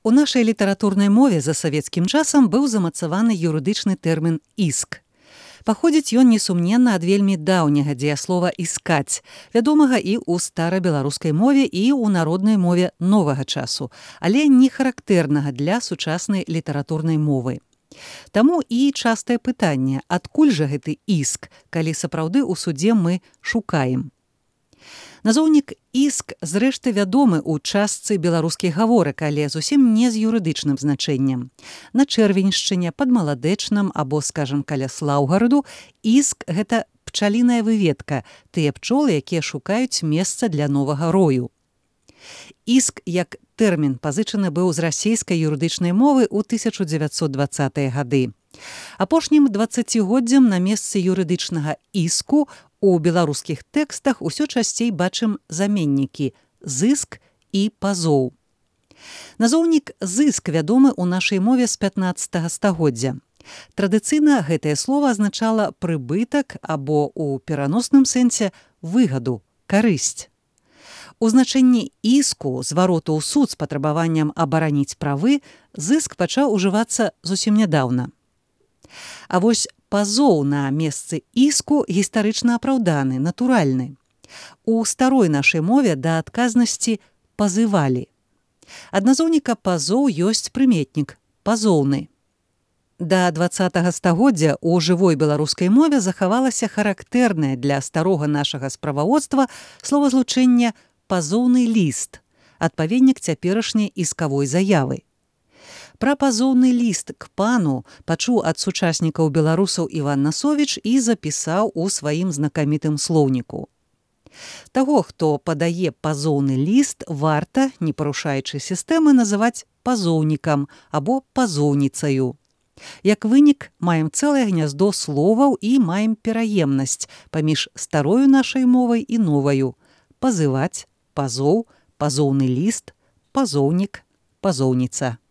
У нашай літаратурнай мове за савецкім часам быў замацаваны юрыдычны тэрмін «іск». Паходзіць ён несумненна ад вельмі даўняга дзеяслова «іскаць», вядомага і ў старабеларускай мове, і ў народнай мове новага часу, але не характэрнага для сучаснай літаратурнай мовы. Таму і частае пытанне, адкуль жа гэты іск, калі сапраўды ў судзе мы шукаем. Назоўнік «іск» зрэшты вядомы ў частцы беларускіх гаворак, але зусім не з юрыдычным значэннем. На Чэрвеньшчыне, пад Маладэчнам або, скажам, каля Слаўгараду іск – гэта пчаліная выведка, тыя пчолы, якія шукаюць месца для новага рою. Іск як тэрмін пазычаны быў з расейскай юрыдычнай мовы ў 1920-е гады. Апошнім 20годдзям на месцы юрыдычнага іску у беларускіх тэкстах усё часцей бачым заменнікі «зыск» і «пазоў». Назоўнік «зыск» вядомы ў нашай мове з 15 стагоддзя. Традыцыйна гэтае слова азначала прыбытак або ў пераносным сэнсе выгаду, карысць. У значэнні іску, звароту ў суд з патрабаваннем абараніць правы, зыск пачаў ужывацца зусім нядаўна. А вось пазоў на месцы іску гістарычна апраўданы, натуральны. У старой нашай мове да адказнасці пазывалі. Ад назоўніка пазоў ёсць прыметнік пазоўны. Да 20 стагоддзя ў жывой беларускай мове захавалася характэрнае для старога нашага справаводства словазлучэнне «пазоўны ліст», адпаведнік цяперашняй іскавой заявы. Пра пазоўны ліст к пану пачуў ад сучаснікаў беларусаў Іван Насовіч і запісаў у сваім знакамітым слоўніку. Таго, хто падае пазоўны ліст, варта, не парушаючы сістэмы, называць пазоўнікам або пазоўніцаю. Як вынік, маем цэлае гняздо словаў і маем пераемнасць паміж старою нашай мовай і новаю. Пазываць, пазоў, пазоўны ліст, пазоўнік, пазоўніца.